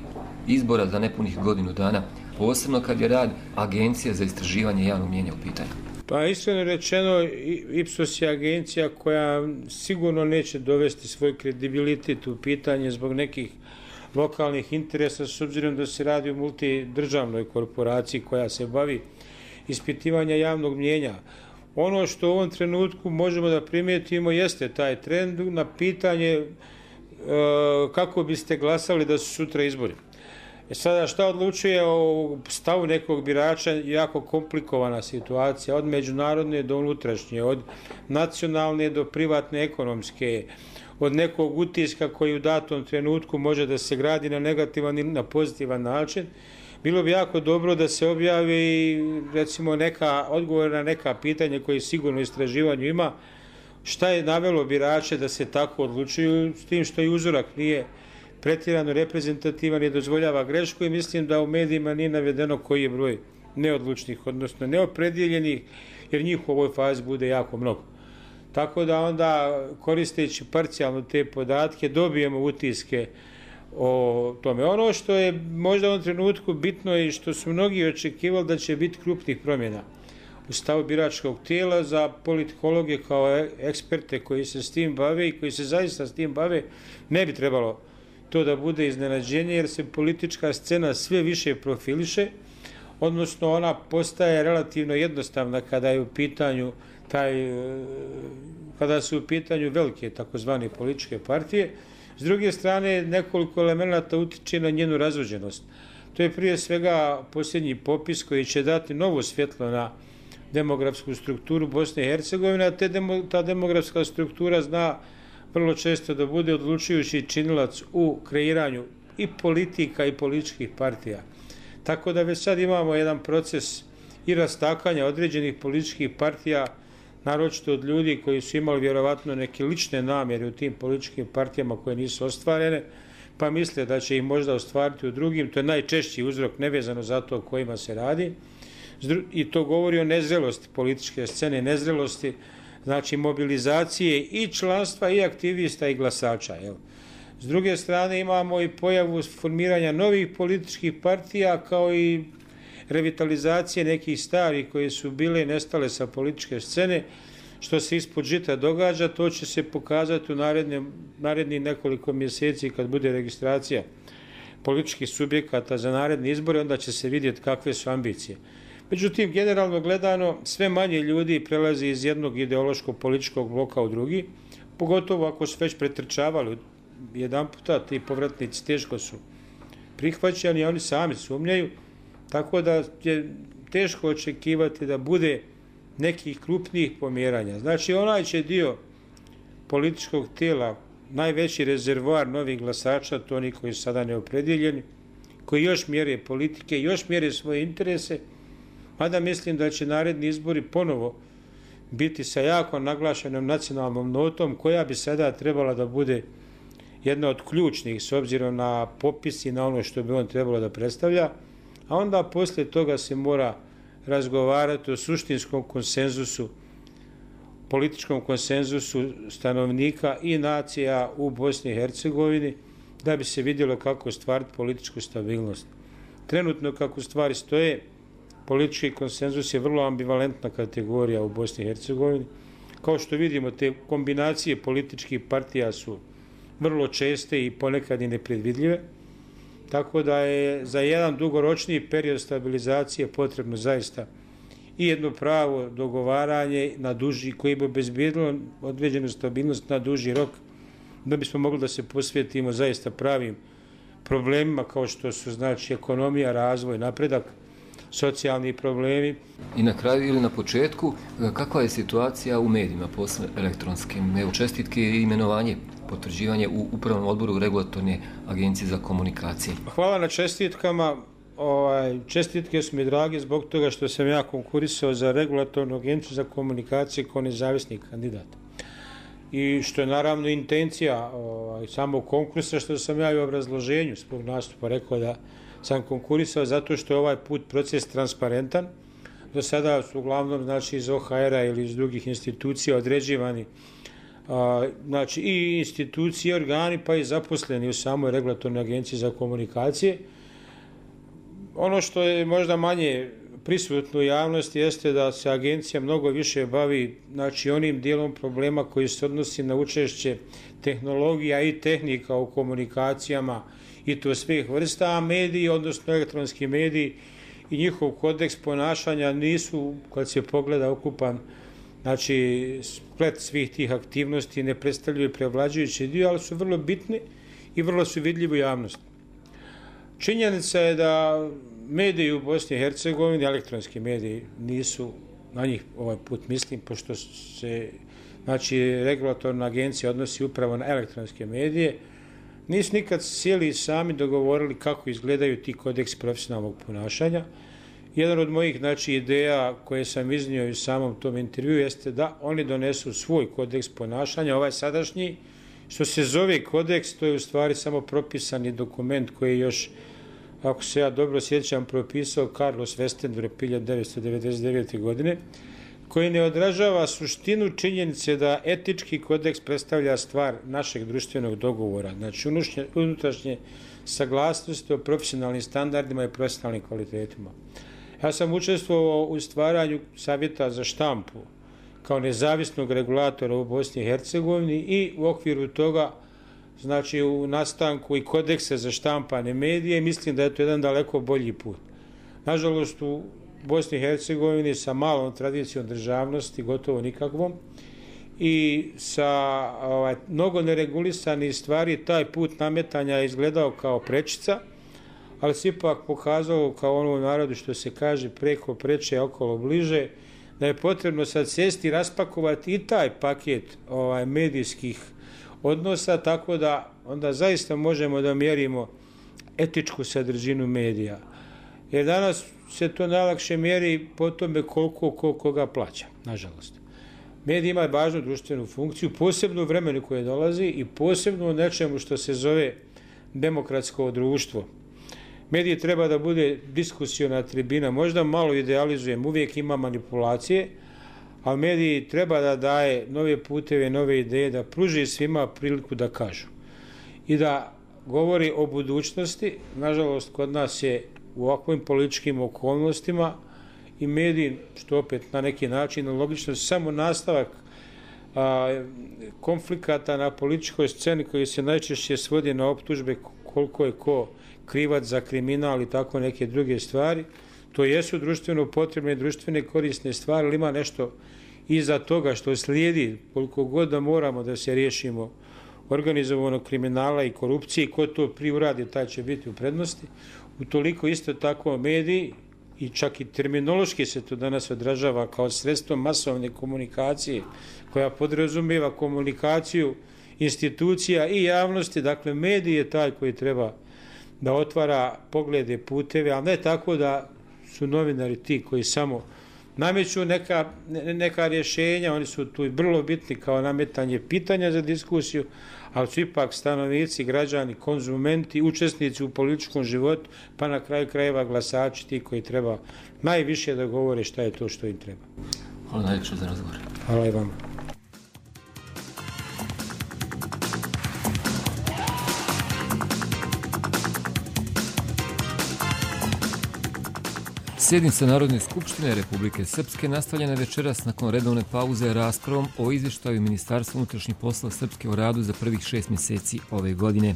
izbora za nepunih godinu dana, posebno kad je rad Agencije za istraživanje javnog mnijenja u pitanju? Pa iskreno rečeno, Ipsos je agencija koja sigurno neće dovesti svoj kredibilitet u pitanje zbog nekih lokalnih interesa, s obzirom da se radi o multidržavnoj korporaciji koja se bavi ispitivanja javnog mnjenja. Ono što u ovom trenutku možemo da primijetimo jeste taj trend na pitanje e, kako biste glasali da su sutra izbori. E sada šta odlučuje o stavu nekog birača, jako komplikovana situacija, od međunarodne do unutrašnje, od nacionalne do privatne ekonomske, od nekog utiska koji u datom trenutku može da se gradi na negativan ili na pozitivan način. Bilo bi jako dobro da se objavi recimo neka odgovor na neka pitanja koje sigurno istraživanju ima, šta je navelo birače da se tako odlučuju, s tim što i uzorak nije pretjerano reprezentativan i dozvoljava grešku, i mislim da u medijima nije navedeno koji je broj neodlučnih, odnosno neopredjeljenih, jer njih u ovoj fazi bude jako mnogo. Tako da onda, koristeći parcijalno te podatke, dobijemo utiske o tome. Ono što je možda u ovom trenutku bitno i što su mnogi očekivali da će biti krupnih promjena u stavu biračkog tijela, za politikologe kao eksperte koji se s tim bave i koji se zaista s tim bave, ne bi trebalo to da bude iznenađenje, jer se politička scena sve više profiliše, odnosno ona postaje relativno jednostavna kada je u pitanju taj, kada su u pitanju velike takozvane političke partije. S druge strane, nekoliko elemenata utiče na njenu razvođenost. To je prije svega posljednji popis koji će dati novo svjetlo na demografsku strukturu Bosne i Hercegovine, a te demo, ta demografska struktura zna vrlo često da bude odlučujući činilac u kreiranju i politika i političkih partija. Tako da već sad imamo jedan proces i rastakanja određenih političkih partija, naročito od ljudi koji su imali vjerovatno neke lične namjere u tim političkim partijama koje nisu ostvarene, pa misle da će ih možda ostvariti u drugim. To je najčešći uzrok, nevezano za to o kojima se radi. I to govori o nezrelosti političke scene, nezrelosti, znači mobilizacije i članstva i aktivista i glasača. Jel? S druge strane imamo i pojavu formiranja novih političkih partija, kao i revitalizacije nekih starih koje su bile i nestale sa političke scene. Što se ispod žita događa, to će se pokazati u narednih nekoliko mjeseci kad bude registracija političkih subjekata za naredne izbore, onda će se vidjeti kakve su ambicije. Međutim, generalno gledano, sve manje ljudi prelazi iz jednog ideološkog političkog bloka u drugi, pogotovo ako su već pretrčavali jedan puta, ti povratnici teško su prihvaćani, a oni sami sumnjaju, tako da je teško očekivati da bude nekih krupnijih pomjeranja. Znači, onaj će dio političkog tijela, najveći rezervoar novih glasača, to oni koji su sada neopredjeljeni, koji još mjere politike, još mjere svoje interese, mada mislim da će naredni izbori ponovo biti sa jako naglašenom nacionalnom notom, koja bi sada trebala da bude jedna od ključnih s obzirom na popis i na ono što bi on trebalo da predstavlja, a onda poslije toga se mora razgovarati o suštinskom konsenzusu, političkom konsenzusu stanovnika i nacija u Bosni i Hercegovini, da bi se vidjelo kako ostvariti političku stabilnost. Trenutno kako stvari stoje, politički konsenzus je vrlo ambivalentna kategorija u Bosni i Hercegovini. Kao što vidimo, te kombinacije političkih partija su vrlo česte i ponekad i nepredvidljive, tako da je za jedan dugoročniji period stabilizacije potrebno zaista i jedno pravo dogovaranje na duži, koji bi obezbijedilo određenu stabilnost na duži rok, da bismo mogli da se posvetimo zaista pravim problemima kao što su, znači, ekonomija, razvoj, napredak, socijalni problemi. I na kraju ili na početku, kakva je situacija u medijima posle elektronskim? Evo, čestitke i imenovanje, potvrđivanje u upravnom odboru Regulatorne agencije za komunikacije. Hvala na čestitkama. Ovaj, čestitke su mi drage zbog toga što sam ja konkurisao za Regulatornu agenciju za komunikacije kao nezavisni kandidat. I što je naravno intencija ovaj, samog konkursa, što sam ja i u obrazloženju svog nastupa rekao da sam konkurisao zato što je ovaj put proces transparentan. Do sada su uglavnom, znači, iz O H R-a ili iz drugih institucija određivani a, znači, i institucije, organi, pa i zaposleni u samoj Regulatornoj agenciji za komunikacije. Ono što je možda manje prisutno u javnosti jeste da se agencija mnogo više bavi, znači, onim dijelom problema koji se odnosi na učešće tehnologija i tehnika u komunikacijama, i to svih vrsta, a mediji, odnosno elektronski mediji, i njihov kodeks ponašanja nisu, kad se pogleda ukupan, znači splet svih tih aktivnosti, ne predstavljaju prevlađujući dio, ali su vrlo bitni i vrlo su vidljivi u javnosti. Činjenica je da mediji u Bosni i Hercegovini, elektronski mediji, nisu, na njih ovaj put mislim, pošto se znači, regulatorna agencija odnosi upravo na elektronske medije, nisu nikad sjeli sami dogovorili kako izgledaju ti kodeksi profesionalnog ponašanja. Jedan od mojih znači, ideja koje sam iznio u samom tom intervju jeste da oni donesu svoj kodeks ponašanja, ovaj sadašnji, što se zove kodeks, to je u stvari samo propisani dokument koji je još, ako se ja dobro sjećam, propisao Carlos Westendorp hiljadu devetsto devedeset devete. godine, koji ne odražava suštinu činjenice da etički kodeks predstavlja stvar našeg društvenog dogovora, znači unutrašnje saglasnosti o profesionalnim standardima i profesionalnim kvalitetima. Ja sam učestvovao u stvaranju Savjeta za štampu kao nezavisnog regulatora u Bosni i Hercegovini i u okviru toga, znači u nastanku i kodekse za štampane medije, mislim da je to jedan daleko bolji put. Nažalost, u Bosni i Hercegovini sa malom tradicijom državnosti, gotovo nikakvom, i sa ovaj, mnogo neregulisanih stvari, taj put nametanja je izgledao kao prečica, ali se ipak pokazalo kao ono u narodu što se kaže preko preče, okolo bliže, da je potrebno sad sjesti i raspakovati i taj paket ovaj, medijskih odnosa, tako da onda zaista možemo da mjerimo etičku sadržinu medija. Jer danas se to najlakše mjeri po tome koliko ko, koga plaća, nažalost. Medij ima važnu društvenu funkciju, posebno u vremenu koje dolazi i posebno u nečemu što se zove demokratsko društvo. Medij treba da bude diskusiona tribina, možda malo idealizujem, uvijek ima manipulacije, ali medij treba da daje nove puteve, nove ideje, da pruži svima priliku da kažu. I da govori o budućnosti, nažalost kod nas je u ovakvim političkim okolnostima i medij, što opet na neki način logično, samo nastavak a, konflikata na političkoj sceni koji se najčešće svodi na optužbe koliko je ko krivac za kriminal i tako neke druge stvari. To jesu društveno potrebne, društvene korisne stvari, ali ima nešto iza toga što slijedi, koliko god da moramo da se riješimo organizovanog kriminala i korupcije, ko to prije uradi, taj će biti u prednosti. Utoliko isto tako mediji, i čak i terminološki se to danas odražava kao sredstvo masovne komunikacije, koja podrazumijeva komunikaciju institucija i javnosti, dakle medij je taj koji treba da otvara poglede, puteve, ali ne tako da su novinari ti koji samo nameću neka, neka rješenja, oni su tu vrlo bitni kao nametanje pitanja za diskusiju, ali su ipak stanovnici, građani, konzumenti, učesnici u političkom životu, pa na kraju krajeva glasači ti koji treba najviše da govore šta je to što im treba. Hvala najljepše za razgovor. Hvala i vama. Sjednica Narodne skupštine Republike Srpske nastavljena večeras nakon redovne pauze raspravom o izvještaju Ministarstva unutrašnjih poslova Srpske o radu za prvih šest mjeseci ove godine.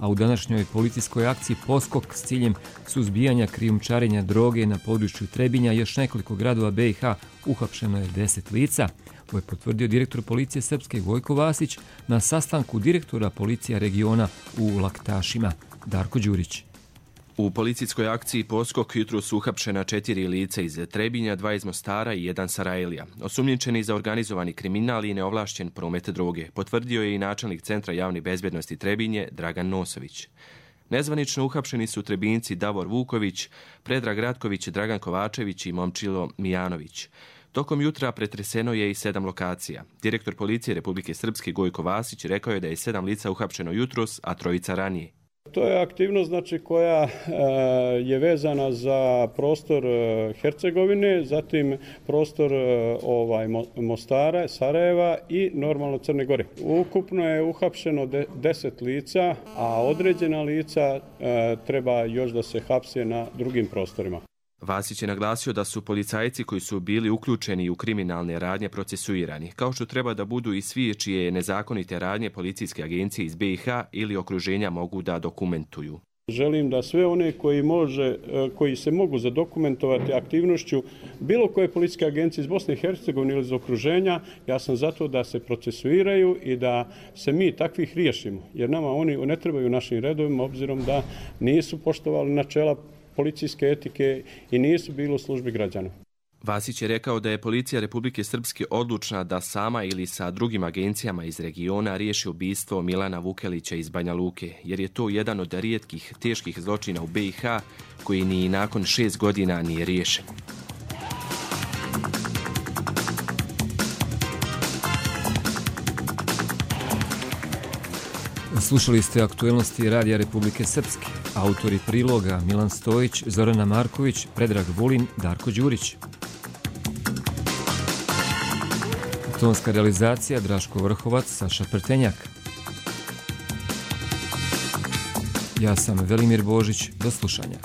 A u današnjoj policijskoj akciji Poskok s ciljem suzbijanja krijumčarenja droge na području Trebinja još nekoliko gradova B i H uhapšeno je deset lica. Ovo je potvrdio direktor policije Srpske Gojko Vasić na sastanku direktora policija regiona u Laktašima. Darko Đurić. U policijskoj akciji Poskok jutro su uhapšena četiri lica iz Trebinja, dva iz Mostara i jedan Sarajlija. Osumnjičeni za organizovani kriminal i neovlašćen promet droge, potvrdio je i načelnik Centra javne bezbjednosti Trebinje Dragan Nosović. Nezvanično uhapšeni su Trebinci Davor Vuković, Predrag Ratković, Dragan Kovačević i Momčilo Mijanović. Tokom jutra pretreseno je i sedam lokacija. Direktor policije Republike Srpske Gojko Vasić rekao je da je sedam lica uhapšeno jutros, a trojica ranije. To je aktivnost znači, koja e, je vezana za prostor e, Hercegovine, zatim prostor e, ovaj, Mostara, Sarajeva i normalno Crne Gore. Ukupno je uhapšeno de, deset lica, a određena lica e, treba još da se hapse na drugim prostorima. Vasić je naglasio da su policajci koji su bili uključeni u kriminalne radnje procesuirani, kao što treba da budu i svi čije nezakonite radnje policijske agencije iz B i H ili okruženja mogu da dokumentuju. Želim da sve one koji, može, koji se mogu zadokumentovati aktivnošću bilo koje policijske agencije iz Bosne i Hercegovine ili iz okruženja, ja sam zato da se procesuiraju i da se mi takvih riješimo. Jer nama oni ne trebaju našim redovima, obzirom da nisu poštovali načela policijske etike i nisu bili u službi građana. Vasić je rekao da je policija Republike Srpske odlučna da sama ili sa drugim agencijama iz regiona riješi ubistvo Milana Vukelića iz Banja Luke, jer je to jedan od rijetkih teških zločina u B i H koji ni nakon šest godina nije riješen. Slušali ste aktuelnosti Radija Republike Srpske. Autori priloga Milan Stojić, Zorana Marković, Predrag Vulin, Darko Đurić. Tonska realizacija Draško Vrhovac, Saša Prtenjak. Ja sam Velimir Božić, do slušanja.